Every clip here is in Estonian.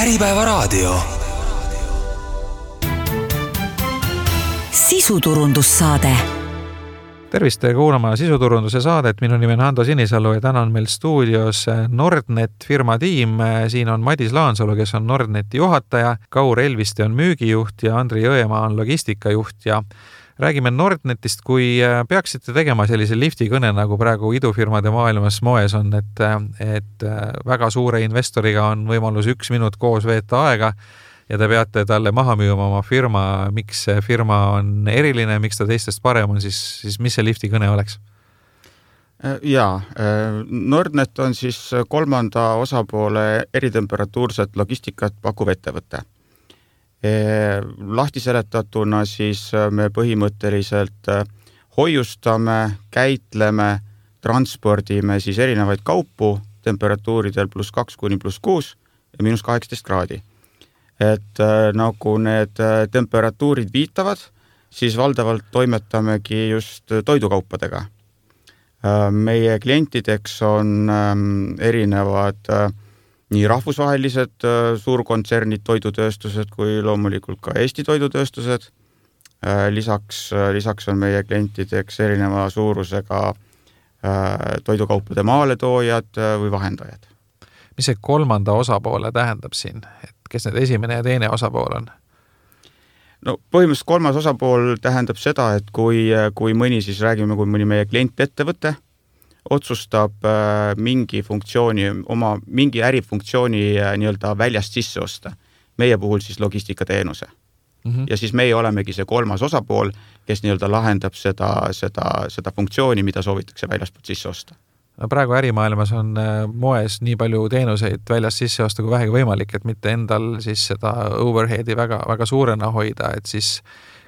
Äripäevaraadio. Sisuturundussaade. Tervist kuulama sisuturunduse saadet. Minu nimi on Hando Sinisalu ja täna on meil stuudios Nordnet firma tiim. Siin on Madis Laansalu, kes on Nordneti juhataja, Kaur Elviste on müügijuht ja Andri Jõemaa on logistikajuht. Ja räägime Nordnetist, kui peaksite tegema sellise lifti kõne, nagu praegu idufirmade maailmas moes on, et väga suure investoriga on võimalus 1 minut koos veeta aega ja te peate talle maha müüma oma firma, miks see firma on eriline, miks ta teistest parem on, siis mis see lifti kõne oleks? Nordnet on siis 3. osapoole eritemperatuurset logistikat pakkuv ettevõte. Lahti seletatuna siis me põhimõtteliselt hoiustame, käitleme, transpordime siis erinevaid kaupu temperatuuridel +2 kuni +6 ja -18 kraadi. Et nagu need temperatuurid viitavad, siis valdavalt toimetamegi just toidukaupadega. Meie klientideks on erinevad nii rahvusvahelised suurkontsernid, toidutööstused kui loomulikult ka Eesti toidutööstused. Lisaks on meie klientideks erineva suurusega toidukaupade maaletoojad või vahendajad. Mis see 3. osapoole tähendab siin? Kes need esimene ja teine osapool on? No põhimõtteliselt 3. osapool tähendab seda, et kui mõni, siis räägime, kui mõni meie klient ettevõte otsustab mingi ärifunktsiooni nii-öelda väljast sisse osta. Meie puhul siis logistikateenuse. Ja siis meie olemegi see 3. osapool, kes nii-öelda lahendab seda funktsiooni, mida soovitakse väljastpoolt sisse osta. Praegu ärimaailmas on moes nii palju teenuseid väljast sisse osta kui vähegi võimalik, et mitte endal siis seda overheadi väga suurena hoida, et siis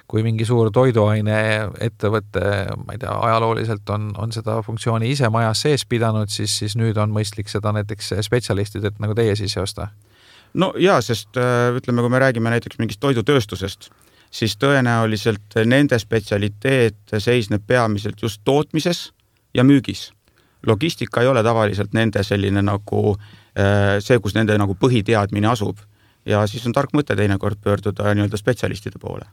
kui mingi suur toiduaine ettevõte, ma ei tea, ajalooliselt on seda funktsiooni ise majas sees pidanud, siis nüüd on mõistlik seda näiteks spetsialistid, et nagu teie sisse osta. No jaa, sest ütleme, kui me räägime näiteks mingist toidutööstusest, siis tõenäoliselt nende spetsialiteet seisneb peamiselt just tootmises ja müügis. Logistika ei ole tavaliselt nende selline nagu see, kus nende nagu põhiteadmine asub. Ja siis on tark mõte teinekord pöörduda nii-öelda spetsialistide poole.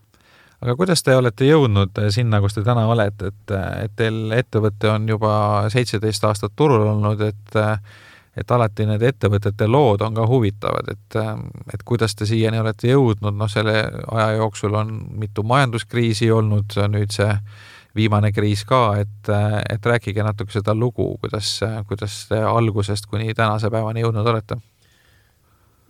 Aga kuidas te olete jõudnud sinna, kus te täna olete, et teil ettevõte on juba 17 aastat turul olnud, et alati need ettevõtete lood on ka huvitavad, et kuidas te siiani olete jõudnud, selle aja jooksul on mitu majanduskriisi olnud, nüüd see viimane kriis ka, et rääkige natuke seda lugu, kuidas te algusest kuni tänase päevani jõudnud olete?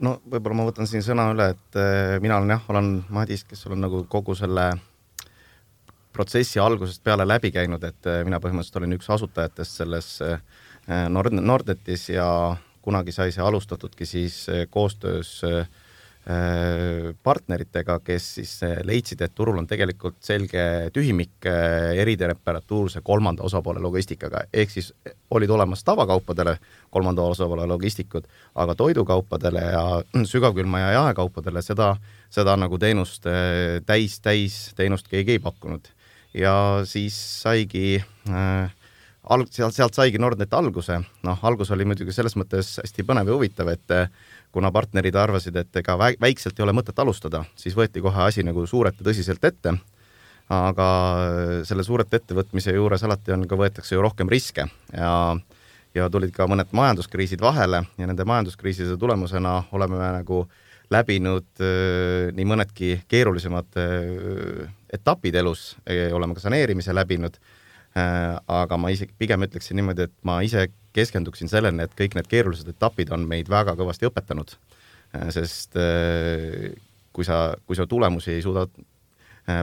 No võib-olla ma võtan siin sõna üle, et mina olen Madis, kes olen nagu kogu selle protsessi algusest peale läbi käinud, et mina põhimõtteliselt olin üks asutajatest selles Nordnetis ja kunagi sai see alustatudki siis koostöös partneritega, kes siis leidsid, et turul on tegelikult selge tühimik eritemperatuurse 3. osapoole logistikaga. Ehk siis olid olemas tavakaupadele 3. osapoole logistikud, aga toidukaupadele ja sügavkülma ja jaekaupadele seda nagu teenust täis teenust keegi ei pakkunud. Ja siis saigi sealt saigi Nordnet alguse. Algus oli muidugi selles mõttes hästi põnev ja huvitav, et kuna partnerid arvasid, et ega väikselt ei ole mõtet alustada, siis võeti kohe asi nagu suurelt ja tõsiselt ette. Aga selle suurelt ettevõtmise juures alati võetakse ju rohkem riske ja tulid ka mõned majanduskriisid vahele ja nende majanduskriiside tulemusena oleme nagu läbinud nii mõnedki keerulisemad etapid elus, oleme ka saneerimise läbinud. Aga ma isegi pigem ütleksin niimoodi, et ma ise keskenduksin sellele, et kõik need keerulised etapid on meid väga kõvasti õpetanud, sest kui sa tulemusi ei suuda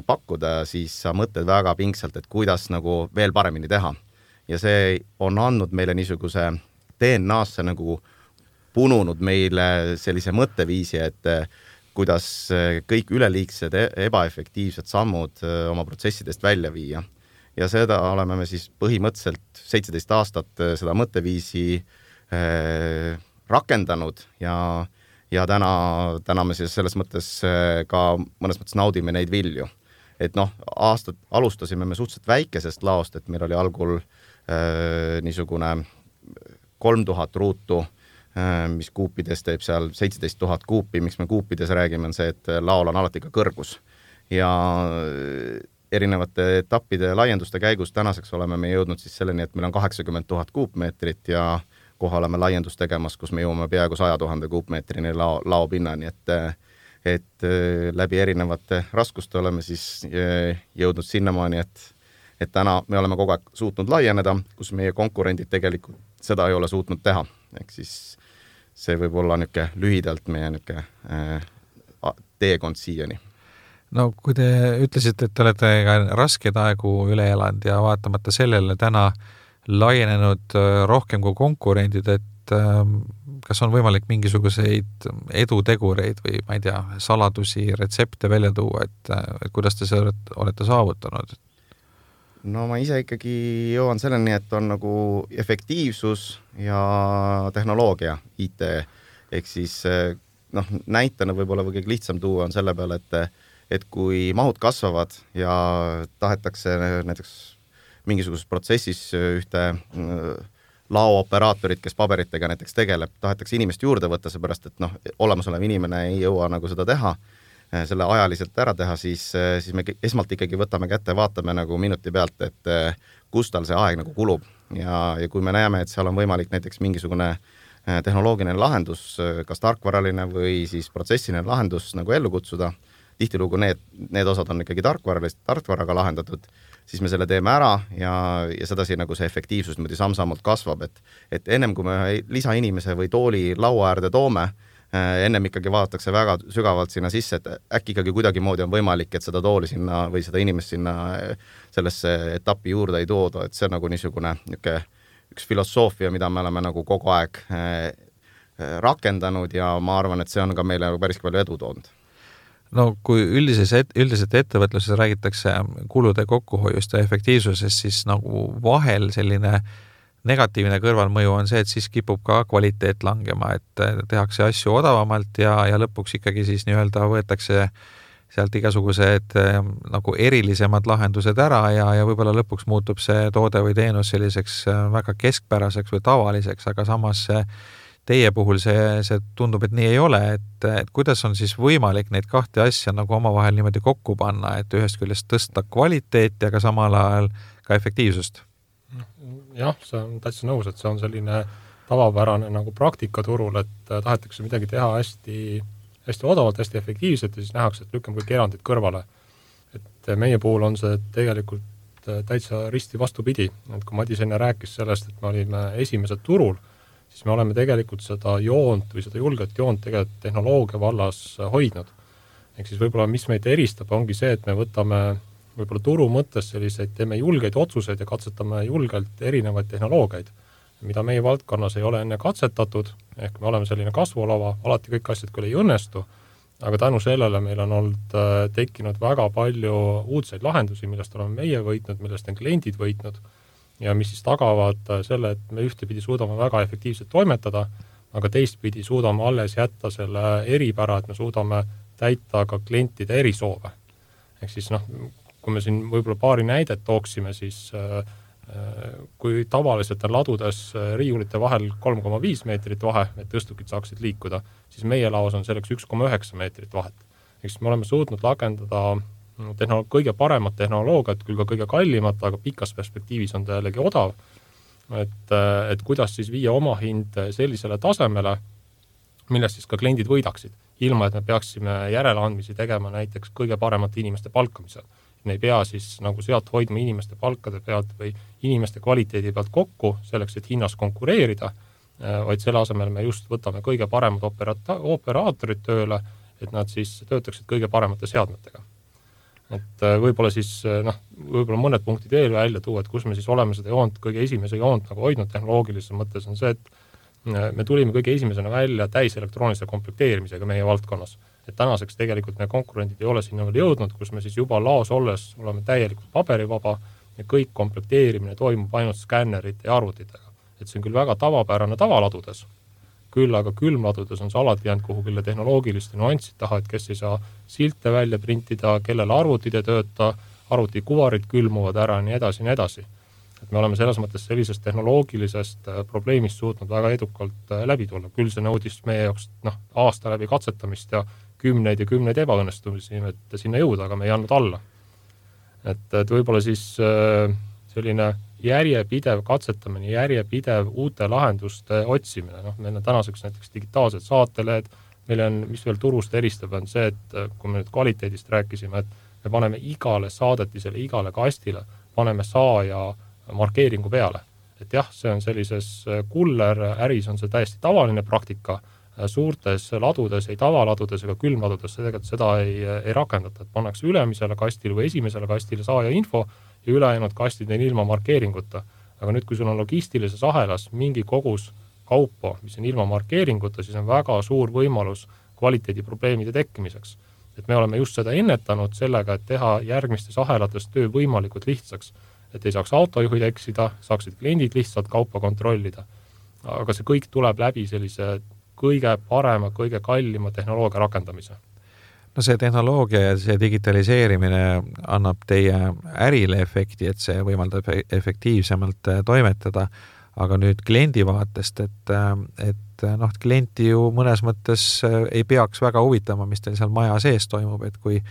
pakkuda, siis sa mõtled väga pingsalt, et kuidas nagu veel paremini teha. Ja see on andnud meile niisuguse DNA-sse nagu pununud meile sellise mõtteviisi, et kuidas kõik üleliigsed ebaefektiivsed sammud oma protsessidest välja viia. Ja seda oleme me siis põhimõtteliselt 17 aastat seda mõtteviisi rakendanud ja täna me siis selles mõttes ka mõnes mõttes naudime neid vilju. Et alustasime me suhteliselt väikesest laost, et meil oli algul niisugune 3000 ruutu mis kuupides teeb seal 17 000 kuupi. Miks me kuupides räägime, on see, et laol on alati ka kõrgus. Ja erinevate etappide laienduste käigus tänaseks oleme me jõudnud siis selleni, et meil on 80 000 kuupmeetrit ja kohe oleme laiendust tegemas, kus me jõuame peaaegu 100 000 kuupmeetrini laopinnani, et läbi erinevate raskuste oleme siis jõudnud sinnamaani, et täna me oleme kogu aeg suutnud laieneda, kus meie konkurendid tegelikult seda ei ole suutnud teha. Ehk siis see võib olla lühidalt meie teekond siiani. No kui te ütlesite, et te olete ka raskeid aegu üle elanud ja vaatamata sellele täna laienenud rohkem kui konkurendid, et kas on võimalik mingisuguseid edutegureid või ma ei tea, saladusi, retsepte välja tuua, et kuidas te seda olete saavutanud? No ma ise ikkagi jõuan selleni, et on nagu efektiivsus ja tehnoloogia, IT. Ehk siis näitena võib-olla kõige lihtsam tuua on selle peale, et kui mahud kasvavad ja tahetakse näiteks mingisuguses protsessis ühte laooperaatorit, kes paberitega näiteks tegeleb, tahetakse inimest juurde võtta, seepärast, et olemasolev inimene ei jõua nagu seda teha, selle ajaliselt ära teha, siis me esmalt ikkagi võtame kätte, vaatame nagu minuti pealt, et kus tal see aeg nagu kulub. Ja kui me näeme, et seal on võimalik näiteks mingisugune tehnoloogiline lahendus, kas tarkvaraline või siis protsessiline lahendus nagu ellu kutsuda, tihtilugu need osad on ikkagi tarkvaraga lahendatud, siis me selle teeme ära ja sedasi nagu see efektiivsus niimoodi samm-sammult kasvab, et ennem kui me lisainimese või tooli laua äärde toome, ennem ikkagi vaadatakse väga sügavalt sinna sisse, et äkki ikkagi kuidagimoodi on võimalik, et seda tooli sinna või seda inimest sinna sellesse etappi juurde ei tooda, et see on nagu niisugune üks filosoofia, mida me oleme nagu kogu aeg rakendanud ja ma arvan, et see on ka meile päris palju edu toonud. No kui üldiselt ettevõtluses räägitakse kulude kokkuhoiust ja efektiivsusest, siis nagu vahel selline negatiivne kõrvalmõju on see, et siis kipub ka kvaliteet langema, et tehakse asju odavamalt ja lõpuks ikkagi siis nii-öelda võetakse sealt igasugused nagu erilisemad lahendused ära ja võib-olla lõpuks muutub see toode või teenus selliseks väga keskpäraseks või tavaliseks, aga samas teie puhul see tundub, et nii ei ole, et kuidas on siis võimalik neid kahte asja nagu omavahel niimoodi kokku panna, et ühest küljest tõsta kvaliteeti, aga samal ajal ka efektiivsust? Jah, see on täitsa nõus, et see on selline tavapärane nagu praktika turul, et tahetakse midagi teha hästi odavalt, hästi efektiivselt ja siis nähakse, et lükkame kõik erandid kõrvale. Et meie puhul on see tegelikult täitsa risti vastupidi, et kui Madis enne rääkis sellest, et me olime esimesed turul, siis me oleme tegelikult seda joont või seda julget joont tegelikult tehnoloogia vallas hoidnud. Ehk siis võib-olla, mis meid eristab, ongi see, et me võtame võib-olla turu mõttes selliseid, teeme julgeid otsuseid ja katsetame julgelt erinevaid tehnoloogiaid, mida meie valdkonnas ei ole enne katsetatud, ehk me oleme selline kasvulava, alati kõik asjad küll ei õnnestu, aga tänu sellele meil on olnud tekkinud väga palju uudseid lahendusi, millest oleme meie võitnud, millest on kliendid võitnud ja mis siis tagavad selle, et me ühtepidi suudame väga efektiivselt toimetada, aga teistpidi suudame alles jätta selle eripära, et me suudame täita ka klientide erisoove. Ehk siis kui me siin võib-olla paari näidet tooksime, siis kui tavaliselt on ladudes riiulite vahel 3,5 meetrit vahe, et tõstukid saaksid liikuda, siis meie laos on selleks 1,9 meetrit vahet. Ehk siis me oleme suutnud rakendada kõige paremat tehnoloogiat, küll ka kõige kallimat, aga pikas perspektiivis on ta jällegi odav. Et kuidas siis viia oma hind sellisele tasemele, millest siis ka kliendid võidaksid, ilma et me peaksime järeleandmisi tegema näiteks kõige paremate inimeste palkamisel. Me ei pea siis nagu sealt hoidma inimeste palkade pealt või inimeste kvaliteedi pealt kokku selleks, et hinnas konkureerida, vaid selle asemel me just võtame kõige paremad operaatorid tööle, et nad siis töötaksid kõige paremate seadmetega. Et võib-olla siis, võib-olla mõned punktid veel välja tuua, et kus me siis oleme seda joont, kõige esimese joont nagu hoidnud tehnoloogilises mõttes on see, et me tulime kõige esimesena välja täiselektroonilise komplekteerimisega meie valdkonnas. Et tänaseks tegelikult meie konkurendid ei ole sinna veel jõudnud, kus me siis juba laos olles oleme täielikult paberivaba ja kõik komplekteerimine toimub ainult skännerite ja arvutitega. Et see on küll väga tavapärane tavaladudes, küll aga külmladudes on see alati jäänud kuhugile tehnoloogiliste nuanssid taha, et kes ei saa silte välja printida, kellele arvutid ei tööta, arvutikuvarid külmuvad ära, nii edasi. et me oleme selles mõttes sellisest tehnoloogilisest probleemist suutnud väga edukalt läbi tulla. Küll see nõudis meie jaoks aasta läbi katsetamist ja kümneid ebaõnnestumisi, et sinna jõuda, aga me ei andnud alla. Et võib-olla siis selline järjepidev katsetamine, järjepidev uute lahenduste otsimine. Meil on tänaseks näiteks digitaalsed saatelehed, meil on, mis veel turust eristab, on see, et kui me nüüd kvaliteedist rääkisime, et me paneme igale saadetisele, igale kastile, paneme saaja markeeringu peale. Et jah, see on sellises kuller äris on see täiesti tavaline praktika, suurtes ladudes, ei tavaladudes ega külmladudes tegelikult seda ei rakendata, et pannakse ülemisele kastile või esimesele kastile saaja info ja ülejäänud kastid on ilma markeeringuta. Aga nüüd, kui sul on logistilises ahelas mingi kogus kaupa, mis on ilma markeeringuta, siis on väga suur võimalus kvaliteediprobleemide tekkimiseks. Et me oleme just seda ennetanud sellega, et teha järgmistes ahelates töö võimalikult lihtsaks, et ei saaks autojuhid eksida, saaksid kliendid lihtsalt kaupa kontrollida. Aga see kõik tuleb läbi sellise kõige parema, kõige kallima tehnoloogia rakendamise. No see tehnoloogia ja see digitaliseerimine annab teie ärile efekti, et see võimaldab efektiivsemalt toimetada, aga nüüd kliendi vaatest, et klienti ju mõnes mõttes ei peaks väga huvitama, mis teil seal maja sees toimub, et kui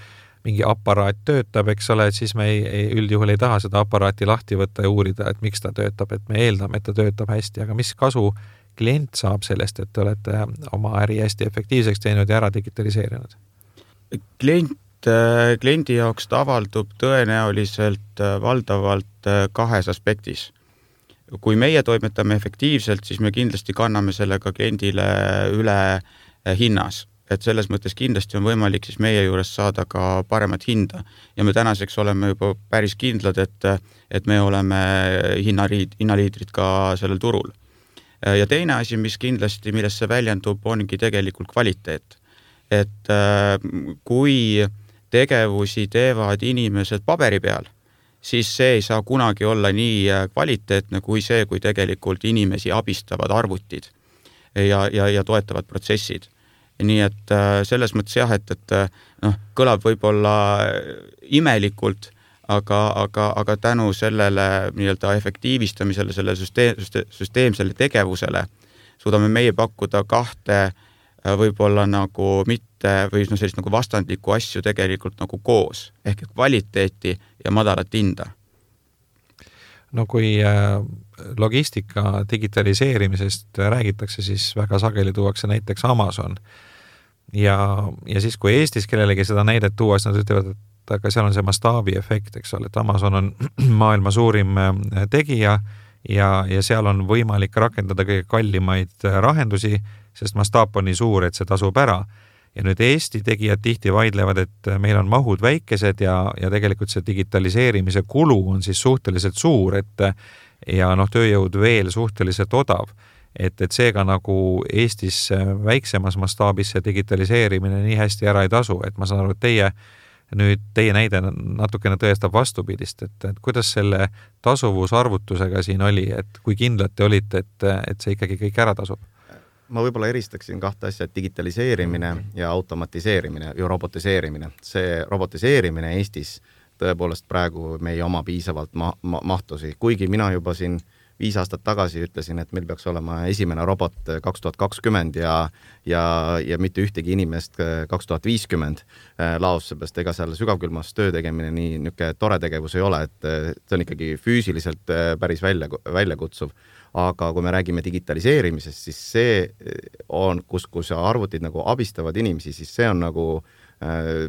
mingi aparaat töötab, eks ole, et siis me üldjuhul ei taha seda aparaati lahti võtta ja uurida, et miks ta töötab, et me eeldame, et ta töötab hästi, aga mis kasu klient saab sellest, et te olete oma äri hästi efektiivseks teinud ja ära digitaliseerinud? Kliendi jaoks ta avaldub tõenäoliselt valdavalt kahes aspektis. Kui meie toimetame efektiivselt, siis me kindlasti kanname sellega kliendile üle hinnas. Et selles mõttes kindlasti on võimalik siis meie juures saada ka paremat hinda. Ja me tänaseks oleme juba päris kindlad, et me oleme hinnaliidrid ka sellel turul. Ja teine asi, mis kindlasti, millest see väljendub, ongi tegelikult kvaliteet. Et kui tegevusi teevad inimesed paberi peal, siis see ei saa kunagi olla nii kvaliteetne kui see, kui tegelikult inimesi abistavad arvutid ja toetavad protsessid. Nii et selles mõttes jah, et kõlab võib-olla imelikult, aga tänu sellele nii-öelda efektiivistamisele, selle süsteemsele tegevusele suudame meie pakkuda kahte võib-olla nagu mitte või sellist nagu vastandlikku asju tegelikult nagu koos, ehk kvaliteeti ja madalat hinda. No kui logistika digitaliseerimisest räägitakse, siis väga sageli tuuakse näiteks Amazon. Ja siis, kui Eestis kellelegi seda näidet tuua, siis nad ütlevad, et aga seal on see mastaabi efekt, eks ole, et Amazon on maailma suurim tegija ja seal on võimalik rakendada kõige kallimaid rahendusi, sest mastaap on nii suur, et see tasub ära. Ja nüüd Eesti tegijad tihti vaidlevad, et meil on mahud väikesed ja tegelikult see digitaliseerimise kulu on siis suhteliselt suur, ja tööjõud veel suhteliselt odav. Et seega nagu Eestis väiksemas mastaabis see digitaliseerimine nii hästi ära ei tasu, et ma saan aru, et teie näide natukene tõestab vastupidist, et kuidas selle tasuvusarvutusega siin oli, et kui kindlad te olite, et see ikkagi kõik ära tasub? Ma võib-olla eristaksin kahte asja, digitaliseerimine ja automatiseerimine ja robotiseerimine. See robotiseerimine Eestis tõepoolest praegu me ei oma piisavalt mahtusi, kuigi mina juba siin 5 aastat tagasi ütlesin, et meil peaks olema esimene robot 2020 ja mitte ühtegi inimest 2050 laos, seepärast ega seal sügavkülmas töö tegemine nii niisugune tore tegevus ei ole, et see on ikkagi füüsiliselt päris väljakutsuv. Aga kui me räägime digitaliseerimisest, siis see on, kus arvutid nagu abistavad inimesi, siis see on nagu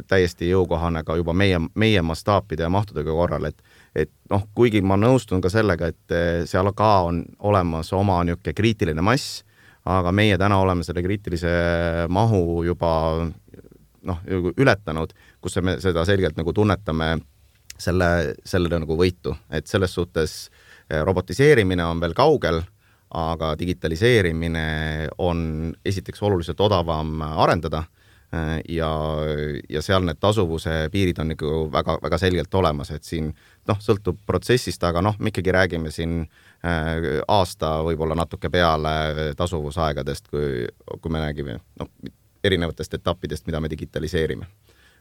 täiesti jõukohane ka juba meie mastaapide ja mahtudega korral, et kuigi ma nõustun ka sellega, et seal ka on olemas oma niisugune kriitiline mass, aga meie täna oleme selle kriitilise mahu juba ületanud, kus me seda selgelt nagu tunnetame selle nagu võitu, et selles suhtes robotiseerimine on veel kaugel, aga digitaliseerimine on esiteks oluliselt odavam arendada ja seal need tasuvuse piirid on nagu väga, väga selgelt olemas, et siin sõltub protsessist, aga me ikkagi räägime siin aasta võib-olla natuke peale tasuvusaegadest, kui me räägime erinevatest etappidest, mida me digitaliseerime.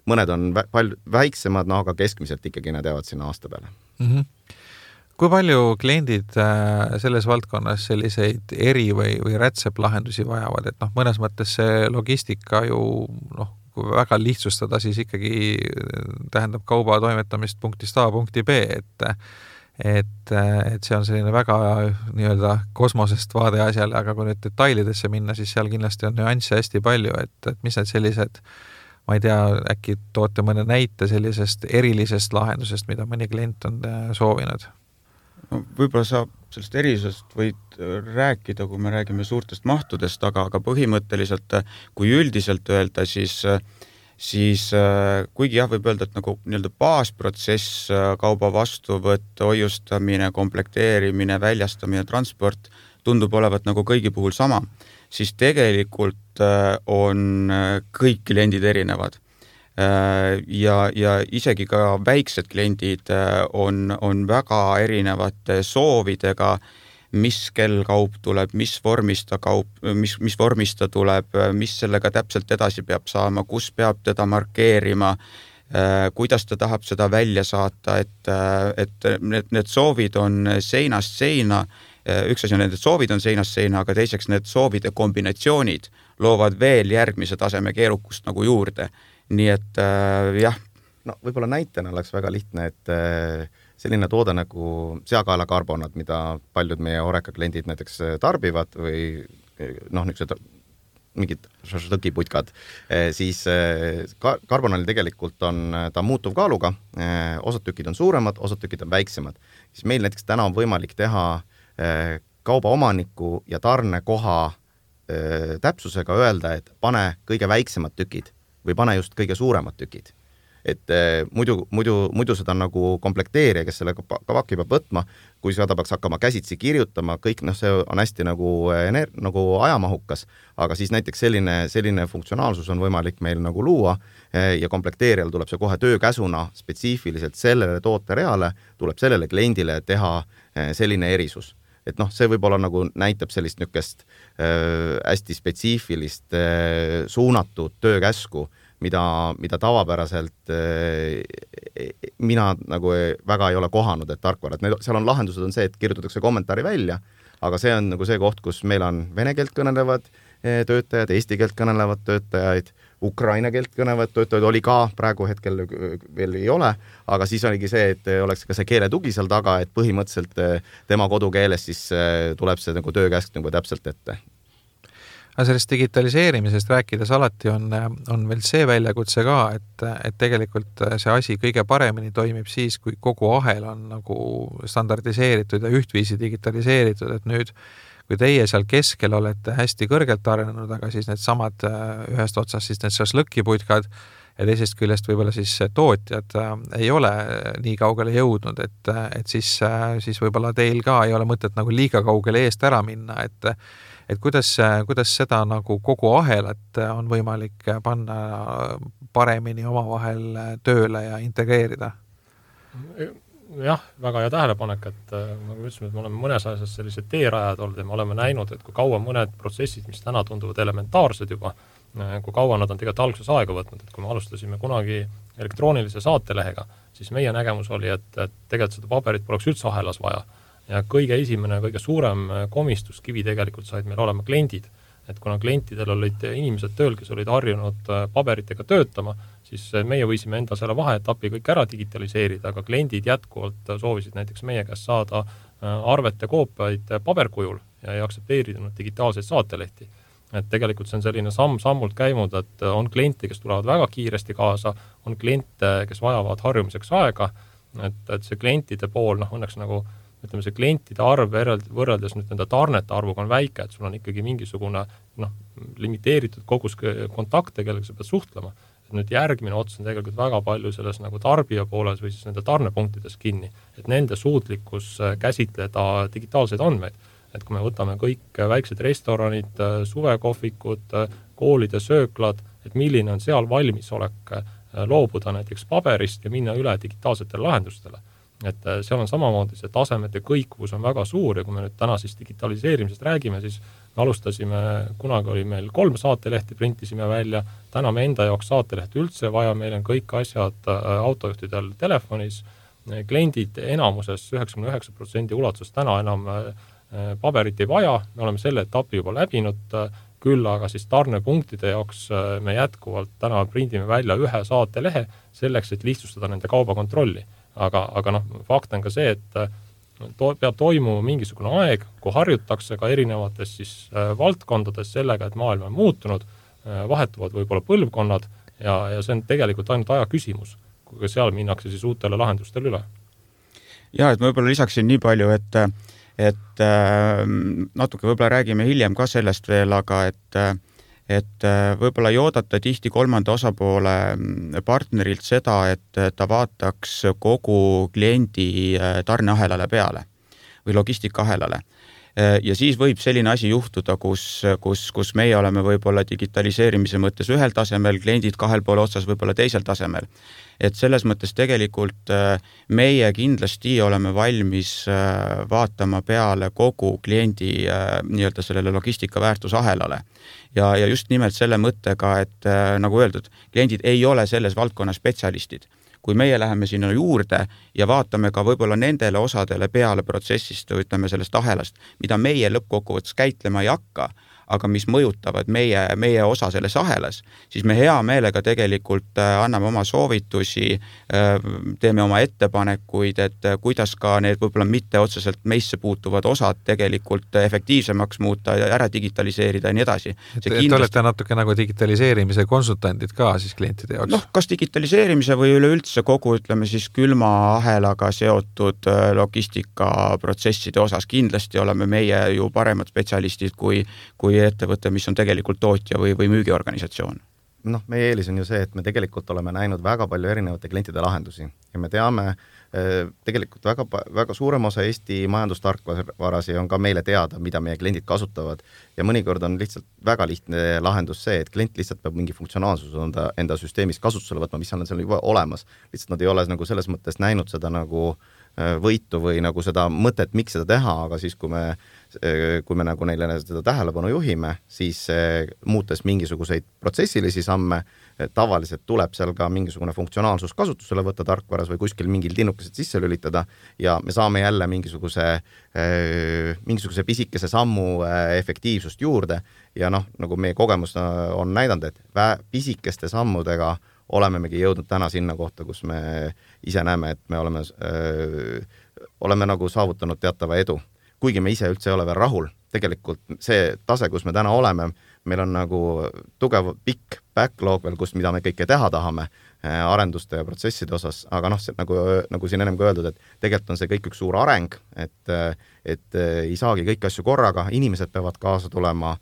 Mõned on palju väiksemad, aga keskmiselt ikkagi nad jäävad sinna aasta peale. Mm-hmm. Kui palju kliendid selles valdkonnas selliseid eri- või rätseplahendusi vajavad, et mõnes mõttes see logistika ju kui väga lihtsustada, siis ikkagi tähendab kauba toimetamist punktist A punkti B, et see on selline väga nii-öelda kosmosest vaade asjale, aga kui nüüd detailidesse minna, siis seal kindlasti on nüansse hästi palju, et mis need sellised, ma ei tea, äkki toote mõne näite sellisest erilisest lahendusest, mida mõni klient on soovinud? No, võib-olla saab sellest erisusest võid rääkida, kui me räägime suurtest mahtudest, aga põhimõtteliselt, kui üldiselt öelda, siis kuigi jah, võib öelda, et nagu nii-öelda baasprotsess, kauba vastuvõtt, hoiustamine, komplekteerimine, väljastamine, transport tundub olevat nagu kõigi puhul sama, siis tegelikult on kõik kliendid erinevad. Ja isegi ka väiksed kliendid on väga erinevate soovidega, mis kell kaup tuleb, mis vormista tuleb, mis sellega täpselt edasi peab saama, kus peab teda markeerima, kuidas ta tahab seda välja saata, et need soovid on seinast seina. Üks asi on, need soovid on seinast seina, aga teiseks need soovide kombinatsioonid loovad veel järgmise taseme keerukust nagu juurde. Nii et jah. No võib-olla näitena oleks väga lihtne, et selline toode nagu seakaelakarbonad, mida paljud meie Horeca kliendid näiteks tarbivad või niisugused mingid šašlõkiputkad, siis karbonali tegelikult on ta muutuv kaaluga, osad tükid on suuremad, osad tükid on väiksemad. Siis meil näiteks täna on võimalik teha kauba omaniku ja tarnekoha täpsusega öelda, et pane kõige väiksemad tükid või pane just kõige suuremad tükid. Et muidu seda nagu komplekteerija, kes selle kavaki peab võtma, kui seda peaks hakkama käsitsi kirjutama, kõik see on hästi nagu ajamahukas, aga siis näiteks selline funktsionaalsus on võimalik meil nagu luua ja komplekteerijal tuleb see kohe töökäsuna spetsiifiliselt sellele tootereale, tuleb sellele kliendile teha selline erisus. Et see võib-olla nagu näitab sellist nükest hästi spetsiifilist suunatud töökäsku, mida tavapäraselt mina nagu väga ei ole kohanud, et tarkvara. Et seal on lahendused on see, et kirjutatakse kommentaari välja, aga see on nagu see koht, kus meil on vene keelt kõnelevad töötajad, eesti keelt kõnelevad töötajaid, ukraina keelt kõnelevad töötajad oli ka, praegu hetkel veel ei ole, aga siis oligi see, et oleks ka see keeletugi seal taga, et põhimõtteliselt tema kodukeeles siis tuleb see nagu töökäsk nagu täpselt ette. Aga sellest digitaliseerimisest rääkides alati on veel see väljakutse ka, et tegelikult see asi kõige paremini toimib siis, kui kogu ahel on nagu standardiseeritud ja ühtviisi digitaliseeritud, et nüüd kui teie seal keskel olete hästi kõrgelt arenenud, aga siis need samad ühest otsast siis need šašlõkiputkad ja teisest küljest võib-olla siis tootjad ei ole nii kaugele jõudnud, et siis võib-olla teil ka ei ole mõtet nagu liiga kaugele eest ära minna, et kuidas seda nagu kogu ahelat on võimalik panna paremini omavahel tööle ja integreerida? Jah, väga hea tähelepanek, et nagu ütlesime, et me oleme mõnes asjas sellised teerajad olnud ja me oleme näinud, et kui kaua mõned protsessid, mis täna tunduvad elementaarsed juba, kui kaua nad on tegelikult alguses aega võtnud, et kui me alustasime kunagi elektroonilise saatelehega, siis meie nägemus oli, et tegelikult seda paberit poleks üldse ahelas vaja. Ja kõige esimene, kõige suurem komistuskivi tegelikult said meil olema kliendid. Et kuna klientidel olid inimesed tööl, kes olid harjunud paberitega töötama, siis meie võisime enda selle vaheetapi kõik ära digitaliseerida, aga kliendid jätkuvalt soovisid näiteks meie käest saada arvete koopiaid paberkujul ja ei aktsepteerinud digitaalseid saatelehti. Et tegelikult see on selline sammult käinud, et on kliente, kes tulevad väga kiiresti kaasa, on kliente, kes vajavad harjumiseks aega, et see klientide pool, õnneks nagu ütleme, see klientide arv võrreldes nüüd nende tarnete arvuga on väike, et sul on ikkagi mingisugune limiteeritud kogus kontakte, kellega sa pead suhtlema. Et nüüd järgmine ots on tegelikult väga palju selles nagu tarbija pooles või siis nende tarnepunktides kinni, et nende suutlikkus käsitleda digitaalseid andmeid. Et kui me võtame kõik väiksed restoranid, suvekohvikud, koolide sööklad, et milline on seal valmisolek loobuda näiteks paberist ja minna üle digitaalsetele lahendustele. Et seal on samamoodi see tasemete kõikvus on väga suur ja kui me nüüd täna siis digitaliseerimisest räägime, siis me alustasime, kunagi oli meil 3 saatelehti, printisime välja, täna me enda jaoks saatelehti üldse vaja, meil on kõik asjad autojuhtidel telefonis kliendid enamuses 99% ulatuses täna enam paberit ei vaja, me oleme selle etapi juba läbinud, küll aga siis tarnepunktide jaoks me jätkuvalt täna prindime välja ühe saatelehe selleks, et lihtsustada nende kaubakontrolli. Aga fakt on ka see, et peab toimuma mingisugune aeg, kui harjutakse ka erinevates siis valdkondades sellega, et maailm on muutunud, vahetuvad võib-olla põlvkonnad ja see on tegelikult ainult aja küsimus, kui seal minnakse siis uutele lahendustele üle. Ja, et ma võib-olla lisaksin nii palju, et natuke võib-olla räägime hiljem ka sellest veel, aga et võib-olla ei oodata tihti kolmanda osapoole partnerilt seda, et ta vaataks kogu kliendi tarneahelale peale või logistikaahelale. Ja siis võib selline asi juhtuda, kus meie oleme võib-olla digitaliseerimise mõttes ühel tasemel, kliendid kahel poole otsas võib-olla teisel tasemel. Et selles mõttes tegelikult meie kindlasti oleme valmis vaatama peale kogu kliendi nii-öelda sellele logistika väärtusahelale. Ja just nimelt selle mõttega, et nagu öeldud, kliendid ei ole selles valdkonnas spetsialistid. Kui meie läheme sinna juurde ja vaatame ka võib-olla nendele osadele peale protsessist, ütleme sellest ahelast, mida meie lõppkokkuvõttes käitlema ei hakka, aga mis mõjutavad meie osa selles ahelas, siis me hea meelega tegelikult anname oma soovitusi, teeme oma ettepanekuid, et kuidas ka need võib-olla mitte otseselt meisse puutuvad osad tegelikult efektiivsemaks muuta ja ära digitaliseerida ja nii edasi. Te olete natuke nagu digitaliseerimise konsultandid ka siis klientide jaoks? Kas digitaliseerimise või üleüldse kogu, ütleme siis külma ahelaga seotud logistikaprotsesside osas kindlasti oleme meie ju paremad spetsialistid kui ettevõte, mis on tegelikult tootja või müügiorganisatsioon. Meie eelis on ju see, et me tegelikult oleme näinud väga palju erinevate klientide lahendusi ja me teame tegelikult väga suurem osa Eesti majandustarkvarasi on ka meile teada, mida meie kliendid kasutavad ja mõnikord on lihtsalt väga lihtne lahendus see, et klient lihtsalt peab mingi funktsionaalsus enda süsteemis kasutusele võtma, mis on seal juba olemas. Lihtsalt nad ei ole nagu selles mõttes näinud seda nagu võitu või nagu seda mõtet, miks seda teha, aga siis kui me nagu neile seda tähelepanu juhime, siis muutes mingisuguseid protsessilisi samme, tavaliselt tuleb seal ka mingisugune funktsionaalsus kasutusele võtta tarkvaras või kuskil mingil tinnukesed sisse lülitada ja me saame jälle mingisuguse pisikese sammu efektiivsust juurde ja nagu meie kogemus on näidanud, et pisikeste sammudega olemegi jõudnud täna sinna kohta, kus me ise näeme, et me oleme nagu saavutanud teatava edu. Kuigi me ise üldse ei ole veel rahul, tegelikult see tase, kus me täna oleme, meil on nagu tugev pikk backlog veel, mida me kõike teha tahame arenduste ja protsesside osas, aga nagu siin ennem ka öeldud, et tegelikult on see kõik üks suur areng, et ei saagi kõik asju korraga, inimesed peavad kaasa tulema,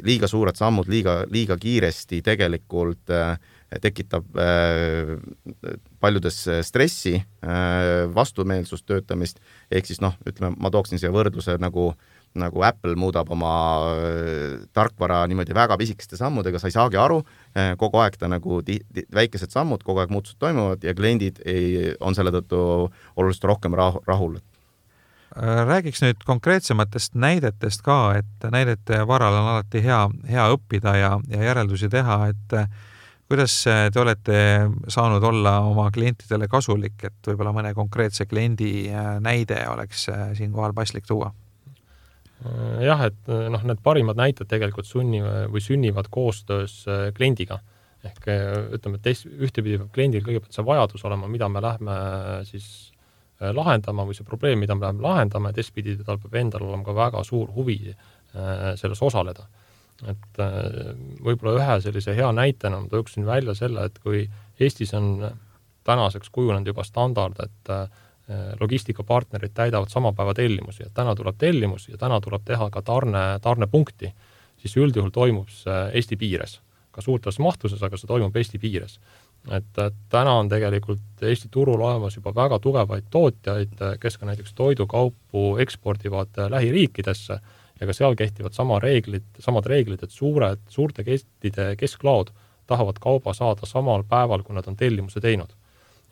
liiga suured sammud, liiga kiiresti tegelikult tekitab paljudes stressi, vastumeelsust töötamist, ehk siis ütleme, ma tooksin siia võrdluse nagu Apple muudab oma tarkvara niimoodi väga pisikeste sammudega, sa ei saagi aru, kogu aeg ta nagu väikesed sammud, kogu aeg muutused toimuvad ja kliendid on selle tõttu oluliselt rohkem rahul. Räägiks nüüd konkreetsematest näidetest ka, et näidete varal on alati hea õppida ja järeldusi teha, et kuidas te olete saanud olla oma klientidele kasulik, et võib-olla mõne konkreetse kliendi näide oleks siinkohal paslik tuua? Jah, et need parimad näited tegelikult sünnivad koostöös kliendiga. Ehk ütleme, et ühtepidi peab kliendil kõigepealt see vajadus olema, mida me lähme siis lahendama või see probleem, mida me läheme lahendama, ja teistpidi tal peab endal olema ka väga suur huvi selles osaleda. Et võib-olla ühe sellise hea näitena ma tooksin välja selle, et kui Eestis on tänaseks kujunenud juba standard, et logistikapartnerid täidavad sama päeva tellimusi, et täna tuleb tellimus ja täna tuleb teha ka tarnepunkti, siis üldjuhul toimub see Eesti piires. Ka suurtes mahtuses, aga see toimub Eesti piires. Et täna on tegelikult Eesti turul olemas juba väga tugevaid tootjaid, kes ka näiteks toidukaupu ekspordivad lähiriikidesse ja ka seal kehtivad samad reeglid, et suurte kestide kesklaod tahavad kauba saada samal päeval, kui nad on tellimuse teinud.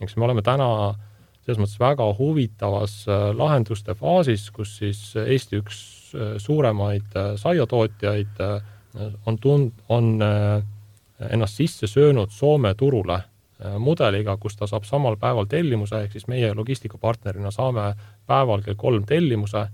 Eks me oleme täna selles mõttes väga huvitavas lahenduste faasis, kus siis Eesti üks suuremaid saiatootjaid on ennast sisse söönud Soome turule mudeliga, kus ta saab samal päeval tellimuse, ehk siis meie logistikapartnerina saame päeval kell 3 tellimuse,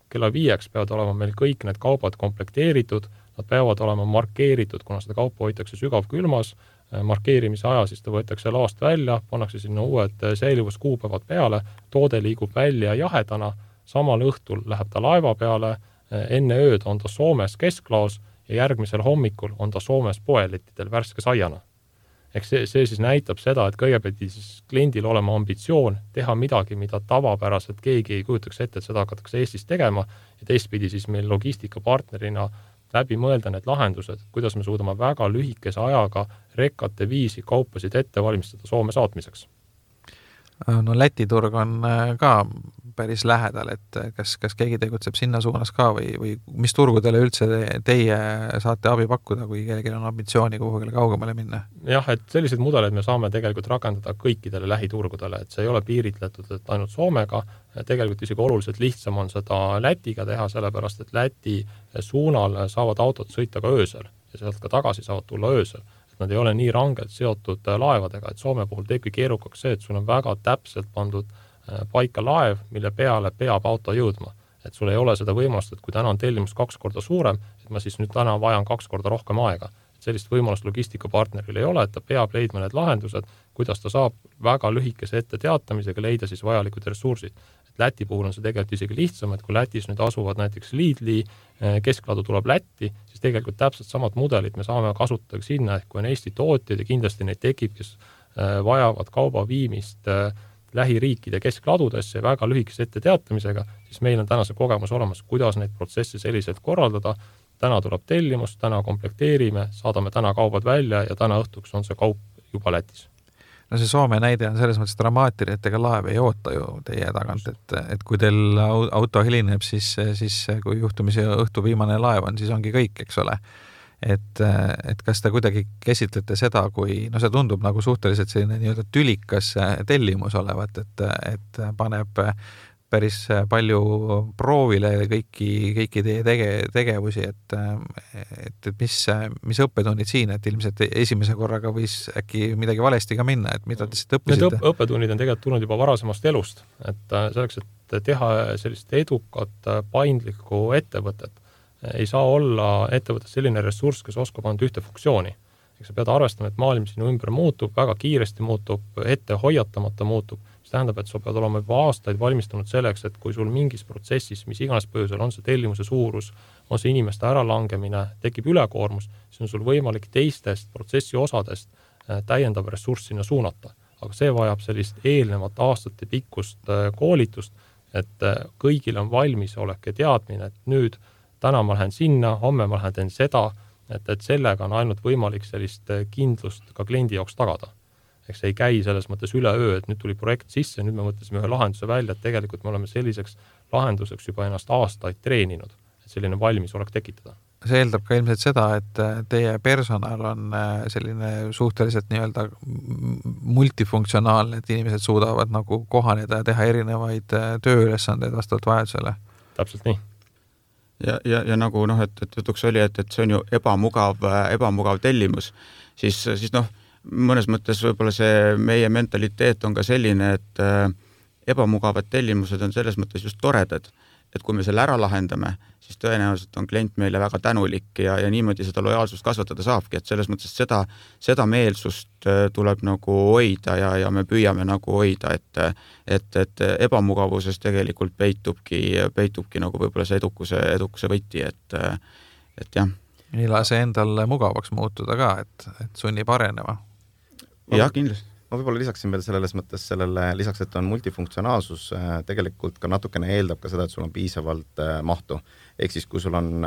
kella 5 peavad olema meil kõik need kaubad komplekteeritud, nad peavad olema markeeritud, kuna seda kaupa hoitakse sügavkülmas, markeerimise aja siis ta võetakse laost välja, pannakse sinna uued säilivuskuupäevad peale, toode liigub välja jahedana, samal õhtul läheb ta laeva peale, enne ööd on ta Soomes kesklaos ja järgmisel hommikul on ta Soomes poelettidel värske saiana. Ehk see siis näitab seda, et kõigepealt siis kliendil olema ambitsioon teha midagi, mida tavapäraselt keegi ei kujutaks ette, et seda hakatakse Eestis tegema ja teistpidi siis meil logistikapartnerina läbi mõelda need lahendused, kuidas me suudame väga lühikese ajaga rekkate viisi kaupasid ette valmistada Soome saatmiseks. No Läti turg on ka päris lähedal, et kas keegi tegutseb sinna suunas ka või mis turgudele üldse teie saate abi pakkuda, kui kellelgi on ambitsiooni kuhugile kaugemale minna? Jah, et sellised mudeleid me saame tegelikult rakendada kõikidele lähiturgudele, et see ei ole piiritletud, et ainult Soomega, tegelikult isegi oluliselt lihtsam on seda Lätiga teha, sellepärast et Läti suunal saavad autod sõita ka öösel ja sealt ka tagasi saavad tulla öösel. Nad ei ole nii rangelt seotud laevadega, et Soome puhul teebki keerukaks see, et sul on väga täpselt pandud paika laev, mille peale peab auto jõudma. Et sul ei ole seda võimalust, et kui täna on tellimus 2 korda suurem, et ma siis nüüd täna vajan 2 korda rohkem aega. Et sellist võimalust logistikapartneril ei ole, et ta peab leidma need lahendused, kuidas ta saab väga lühikese ette teatamisega leida siis vajalikud ressursid. Et Läti puhul on see tegelikult isegi lihtsam, et kui Lätis nüüd asuvad näiteks Lidli, keskladu tuleb Lätti, siis tegelikult täpselt samad mudelid me saame kasutada sinna, ehk kui on Eesti tootjad ja kindlasti neid tekib, kes vajavad kauba viimist lähiriikide keskladudesse väga lühikese ette teatamisega, siis meil on täna see kogemus olemas, kuidas neid protsesse selliselt korraldada. Täna tuleb tellimus, täna komplekteerime, saadame täna kaubad välja ja täna õhtuks on see kaup juba Lätis. No see Soome näide on selles mõttes dramaatiline, et ega laev ei oota ju teie tagant, et kui teil auto hilineb, siis kui juhtumisi õhtu viimane laev on, siis ongi kõik, eks ole. Et kas te kuidagi käsitlete seda, kui see tundub nagu suhteliselt selline nii-öelda tülikas tellimus olevat, et paneb päris palju proovile kõiki teie tegevusi, et mis õppetunnid siin, et ilmselt esimese korraga võis äkki midagi valesti ka minna, et mida te siit õppisite? Need õppetunnid on tegelikult tulnud juba varasemast elust, et selleks, et teha sellist edukat, paindlikku ettevõtet, ei saa olla ettevõttes selline ressurss, kes oskab anda ühte funktsiooni. Sa pead arvestama, et maailm sinu ümber muutub, väga kiiresti muutub, ette hoiatamata muutub, mis tähendab, et sa pead olema juba aastaid valmistunud selleks, et kui sul mingis protsessis, mis iganes põhjusel on see tellimuse suurus, on see inimeste äralangemine, tekib ülekoormus, siis on sul võimalik teistest protsessi osadest täiendav ressurss sinna suunata. Aga see vajab sellist eelnevat aastate pikkust koolitust, et kõigil on valmis olek ja teadmine, et nüüd täna ma lähen sinna, homme ma lähen seda, et sellega on ainult võimalik sellist kindlust ka kliendi jaoks tagada. Eks see ei käi selles mõttes üle öö, et nüüd tuli projekt sisse, nüüd me mõtlesime ühe lahenduse välja, et tegelikult me oleme selliseks lahenduseks juba ennast aastaid treeninud, et selline valmisolek tekitada. See eeldab ka ilmselt seda, et teie personal on selline suhteliselt nii-öelda multifunktsionaalne, et inimesed suudavad nagu kohaneda ja teha erinevaid tööülesandeid vastavalt vajadusele. Täpselt nii. Ja nagu et jutuks oli, et see on ju ebamugav tellimus, siis mõnes mõttes võib-olla see meie mentaliteet on ka selline, et ebamugavad tellimused on selles mõttes just toredad, et kui me selle ära lahendame, siis tõenäoliselt on klient meile väga tänulik ja niimoodi seda lojaalsust kasvatada saabki, et selles mõttes seda meelsust tuleb nagu hoida ja me püüame nagu hoida, et ebamugavuses tegelikult peitubki nagu võib-olla see edukuse võti, et jah. Ei lase endal mugavaks muutuda ka, et sunnib arenema. Jah, kindlasti. Ma võib-olla lisaksin veel lisaks, et on multifunktsionaalsus, tegelikult ka natukene eeldab ka seda, et sul on piisavalt mahtu. Ehk siis, kui sul on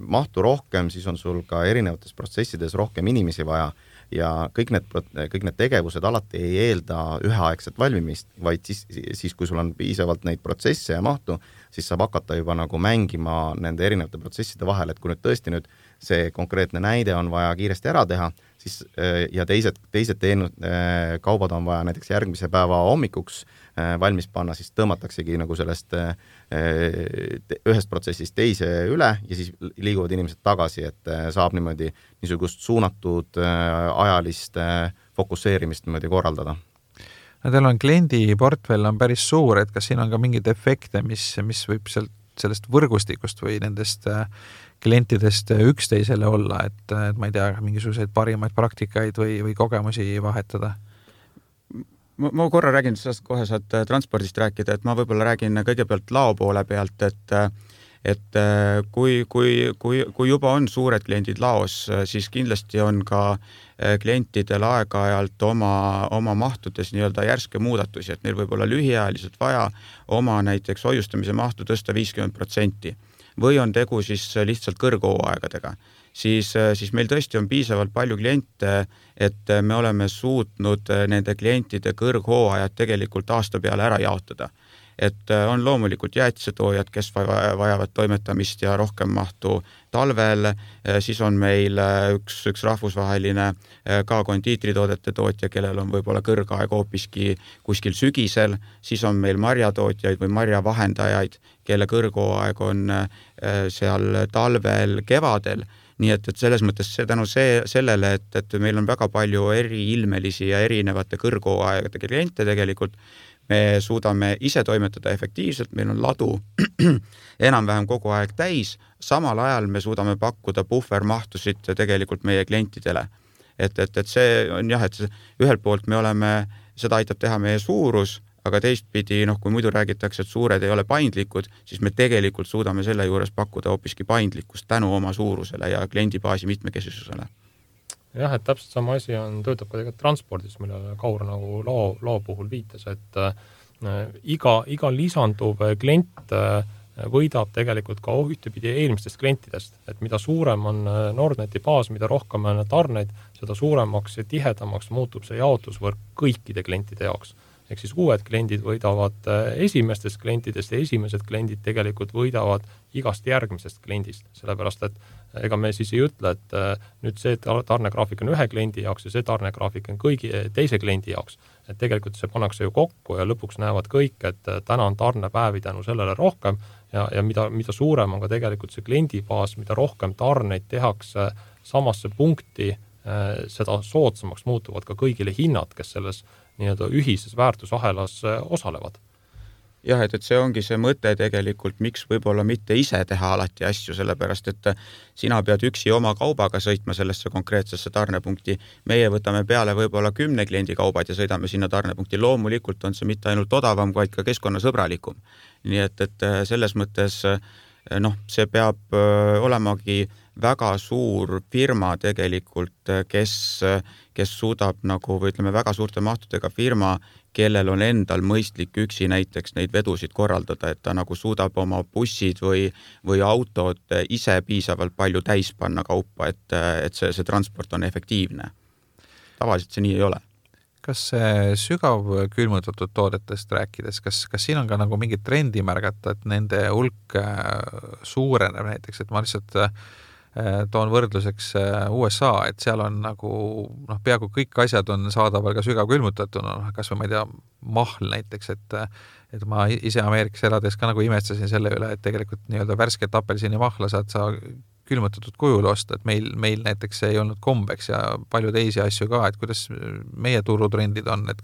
mahtu rohkem, siis on sul ka erinevates protsessides rohkem inimesi vaja ja kõik need tegevused alati ei eelda üheaegset valmimist, vaid siis, kui sul on piisavalt neid protsesse ja mahtu, siis saab hakata juba nagu mängima nende erinevate protsesside vahel, et kui nüüd tõesti see konkreetne näide on vaja kiiresti ära teha, siis ja teised kaubad on vaja näiteks järgmise päeva hommikuks valmis panna, siis tõmmataksegi nagu sellest ühest protsessist teise üle ja siis liiguvad inimesed tagasi, et saab niimoodi niisugust suunatud ajalist fokusseerimist niimoodi korraldada. No teil on kliendiportfell on päris suur, et kas siin on ka mingeid efekte, mis võib sellest võrgustikust või nendest klientidest üksteisele olla, et ma ei tea, mingisuguseid parimaid praktikaid või kogemusi vahetada? Ma korra räägin, sest kohe saad transpordist rääkida, et ma võib-olla räägin kõigepealt lao poole pealt, et kui juba on suured kliendid laos, siis kindlasti on ka klientidel aeg-ajalt oma mahtudes nii-öelda järske muudatusi, et neil võib olla lühiajaliselt vaja oma näiteks hoiustamise mahtu tõsta 50% või on tegu siis lihtsalt kõrghooaegadega. Siis meil tõesti on piisavalt palju kliente, et me oleme suutnud nende klientide kõrghooajad tegelikult aasta peale ära jaotada. Et on loomulikult jäätisetoojad, kes vajavad toimetamist ja rohkem mahtu talvel, siis on meil üks rahvusvaheline ka kondiitritoodete tootja, kellel on võib-olla kõrgaeg hoopiski kuskil sügisel, siis on meil marjatootjaid või marjavahendajaid, kelle kõrghooaeg on seal talvel, kevadel. Nii et selles mõttes tänu sellele, et meil on väga palju eriilmelisi ja erinevate kõrghooaegade kliente tegelikult, me suudame ise toimetada efektiivselt, meil on ladu enam-vähem kogu aeg täis, samal ajal me suudame pakkuda puhvermahtusid tegelikult meie klientidele. Et see on jah, et ühelt poolt me oleme, seda aitab teha meie suurus, aga teistpidi, kui muidu räägitakse, et suured ei ole paindlikud, siis me tegelikult suudame selle juures pakkuda hoopiski paindlikkust tänu oma suurusele ja kliendibaasi mitmekesisusele. Jah, et täpselt sama asi töötab ka tegelikult transpordis, millele Kaur nagu loo puhul viitas, et iga lisanduv klient võidab tegelikult ka ühtepidi eelmistest klientidest, et mida suurem on Nordneti baas, mida rohkem on tarneid, seda suuremaks ja tihedamaks muutub see jaotusvõrk kõikide klientide jaoks. Ehk siis uued kliendid võidavad esimestest klientidest ja esimesed kliendid tegelikult võidavad igast järgmisest kliendist, sellepärast et ega me siis ei ütle, et nüüd see tarnegraafik on ühe kliendi jaoks ja see tarnegraafik on kõigi teise kliendi jaoks. Et tegelikult see pannakse ju kokku ja lõpuks näevad kõik, et täna on tarnepäevi tänu sellele rohkem ja mida suurem on ka tegelikult see kliendibaas, mida rohkem tarneid tehakse samasse punkti, seda soodsamaks muutuvad ka kõigile hinnad, kes selles nii-öelda ühises väärtusahelas osalevad. Jah, et see ongi see mõte tegelikult, miks võib-olla mitte ise teha alati asju, sellepärast et sina pead üksi oma kaubaga sõitma sellesse konkreetsesse tarnepunkti. Meie võtame peale võib-olla 10 kliendi kaubad ja sõidame sinna tarnepunkti. Loomulikult on see mitte ainult odavam, vaid ka keskkonnasõbralikum. Nii et selles mõttes see peab olemagi väga suur firma tegelikult, kes suudab või ütleme väga suurte mahtudega firma, kellel on endal mõistlik üksi näiteks neid vedusid korraldada, et ta suudab oma bussid või autod ise piisavalt palju täis panna kaupa, et see transport on efektiivne. Tavaliselt see nii ei ole. Kas see sügav külmutatud toodetest rääkides, kas siin on ka mingit trendi märgata, et nende hulk suureneb näiteks, et ma lihtsalt toon võrdluseks USA, et seal on peaaegu kõik asjad on saadaval ka sügav külmutatuna, kas või ma ei tea, mahl näiteks, et ma ise Ameerikas elades ka imestasin selle üle, et tegelikult nii-öelda värsket apelsini mahla saad sa külmutatud kujul osta, et meil näiteks ei olnud kombeks ja palju teisi asju ka, et kuidas meie turutrendid on, et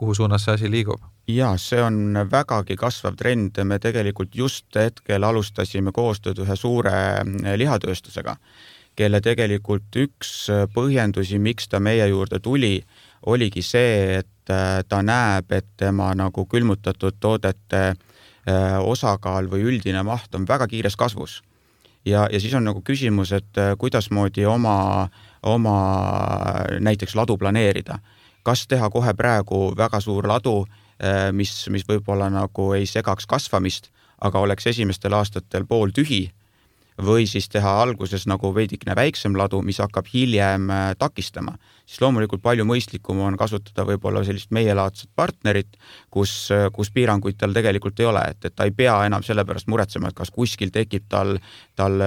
kuhu suunas see asi liigub? Ja, see on vägagi kasvav trend. Me tegelikult just hetkel alustasime koostööd ühe suure lihatööstusega, kelle tegelikult üks põhjendusi, miks ta meie juurde tuli, oligi see, et ta näeb, et tema külmutatud toodete osakaal või üldine maht on väga kiires kasvus. Ja siis on küsimus, et kuidasmoodi oma näiteks ladu planeerida. Kas teha kohe praegu väga suur ladu, mis võib-olla ei segaks kasvamist, aga oleks esimestel aastatel pool tühi, või siis teha alguses veidikene väiksem ladu, mis hakkab hiljem takistama. Siis loomulikult palju mõistlikum on kasutada võib-olla sellist meielaadset partnerit, kus piiranguid tal tegelikult ei ole, et ta ei pea enam selle pärast muretsema, et kas kuskil tekib tal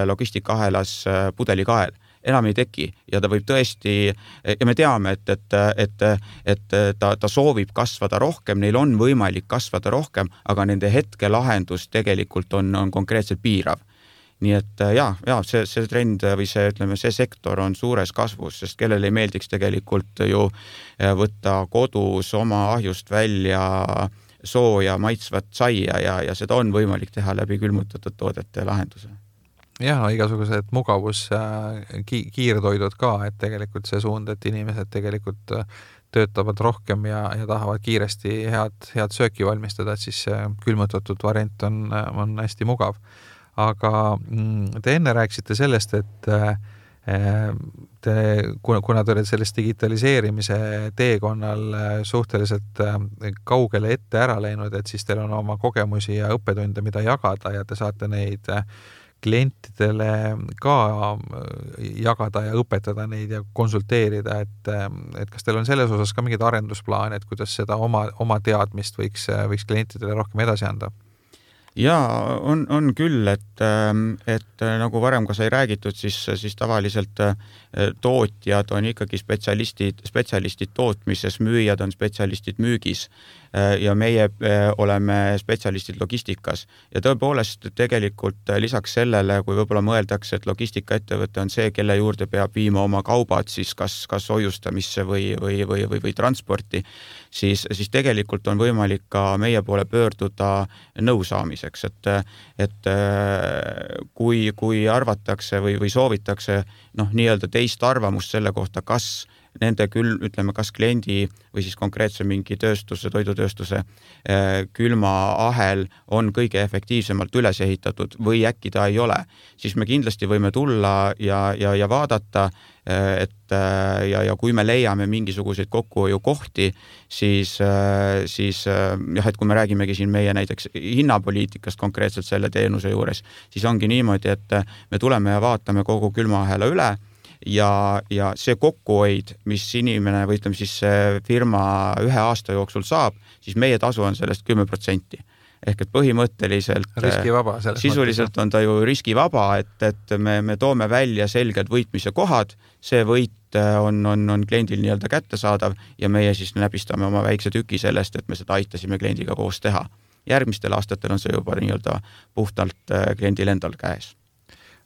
logistikahelas pudelikael. Enam ei teki ja ta võib tõesti, ja me teame, et ta soovib kasvada rohkem, neil on võimalik kasvada rohkem, aga nende hetkelahendus tegelikult on konkreetselt piirav. nii et see trend või see sektor on suures kasvus, sest kellel ei meeldiks tegelikult ju võtta kodus oma ahjust välja sooja maitsvat saia ja seda on võimalik teha läbi külmutatud toodete lahenduse. Jah, igasugused mugavus kiirtoidud ka, et tegelikult see suund, et inimesed tegelikult töötavad rohkem ja tahavad kiiresti head sööki valmistada, et siis külmutatud variant on hästi mugav. Aga te enne rääkisite sellest, et kuna te olete sellest digitaliseerimise teekonnal suhteliselt kaugele ette ära läinud, et siis teil on oma kogemusi ja õppetunde, mida jagada ja te saate neid klientidele ka jagada ja õpetada neid ja konsulteerida, et kas teil on selles osas ka mingid arendusplaan, et kuidas seda oma teadmist võiks klientidele rohkem edasi anda? Jaa, on küll, et nagu varem ka sai räägitud, siis tavaliselt tootjad on ikkagi spetsialistid tootmises, müüjad on spetsialistid müügis ja meie oleme spetsialistid logistikas. Ja tõepoolest tegelikult lisaks sellele, kui võib-olla mõeldakse, et logistikaettevõte on see, kelle juurde peab viima oma kaubad siis kas hoiustamisse või transporti, siis tegelikult on võimalik ka meie poole pöörduda nõusaamiseks, et kui arvatakse või soovitakse nii-öelda teist arvamust selle kohta, kas nende kas kliendi või siis konkreetse mingi toidutööstuse külmaahel on kõige efektiivsemalt üles ehitatud või äkki ta ei ole, siis me kindlasti võime tulla ja vaadata, ja kui me leiame mingisuguseid kokkuhoiukohti, siis et kui me räägimegi siin meie näiteks hinnapoliitikast konkreetselt selle teenuse juures, siis ongi niimoodi, et me tuleme ja vaatame kogu külmaahela üle ja see kokkuhoid, mis inimene või ütleme siis firma 1 aasta jooksul saab, siis meie tasu on sellest 10%. Ehk et põhimõtteliselt riskivaba, sisuliselt on ta ju riskivaba, et me toome välja selged võitmise kohad, see võit on kliendil nii-öelda kättesaadav ja meie siis näbistame oma väikse tüki sellest, et me seda aitasime kliendiga koos teha. Järgmistel aastatel on see juba nii-öelda puhtalt kliendil endal käes.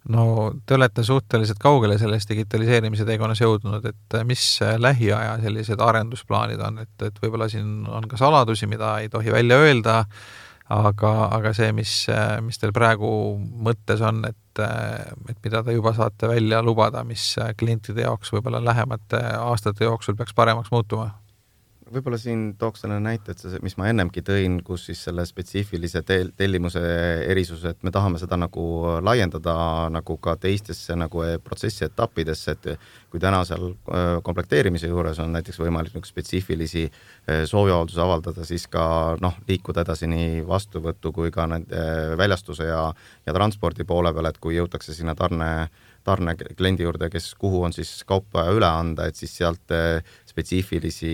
No te olete suhteliselt kaugele sellest digitaliseerimise teekonnas jõudnud, et mis lähiaja sellised arendusplaanid on, et võib-olla siin on ka saladusi, mida ei tohi välja öelda, aga see, mis teil praegu mõttes on, et mida te juba saate välja lubada, mis klientide jaoks võib-olla lähemate aastate jooksul peaks paremaks muutuma? Võib-olla siin tooks selle näite, et mis ma ennemgi tõin, kus siis selle spetsiifilise tellimuse erisus, et me tahame seda nagu laiendada nagu ka teistesse nagu protsessi etappidesse, et kui täna seal komplekteerimise juures on näiteks võimalik spetsiifilisi sooviavalduse avaldada, siis ka liikuda edasi nii vastuvõttu kui ka väljastuse ja transpordi poole peal, et kui jõutakse sinna tarne kliendi juurde, kuhu on siis kaupa üle anda, et siis sealt spetsiifilisi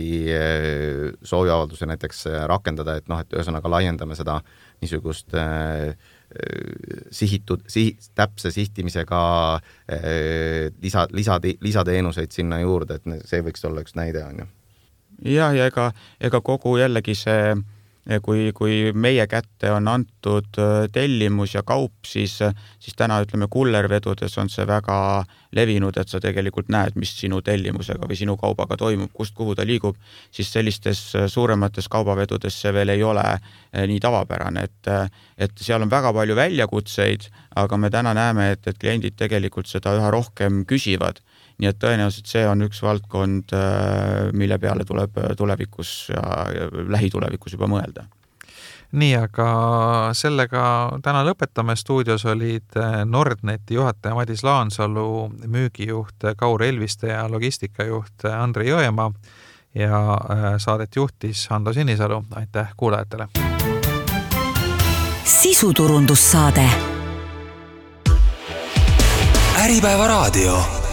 sooviavalduse näiteks rakendada, et ühesõnaga laiendame seda niisugust täpse sihtimisega lisateenuseid sinna juurde, et see võiks olla üks näide, on ju. Ja ega kogu jällegi see, kui meie kätte on antud tellimus ja kaup, siis täna ütleme kullervedudes on see väga levinud, et sa tegelikult näed, mis sinu tellimusega või sinu kaubaga toimub, kust kuhu ta liigub, siis sellistes suuremates kaubavedudes see veel ei ole nii tavapärane, et seal on väga palju väljakutseid, aga me täna näeme, et kliendid tegelikult seda üha rohkem küsivad. Nii et tõenäoliselt see on üks valdkond, mille peale tuleb tulevikus ja lähitulevikus juba mõelda. Nii, aga sellega täna lõpetame. Stuudios olid Nordneti juhataja Madis Laansalu, müügijuht Kaur Elviste ja logistikajuht Andri Jõemaa ja saadet juhtis Hando Sinisalu. Aitäh kuulajatele! Sisuturundussaade. Äripäeva raadio.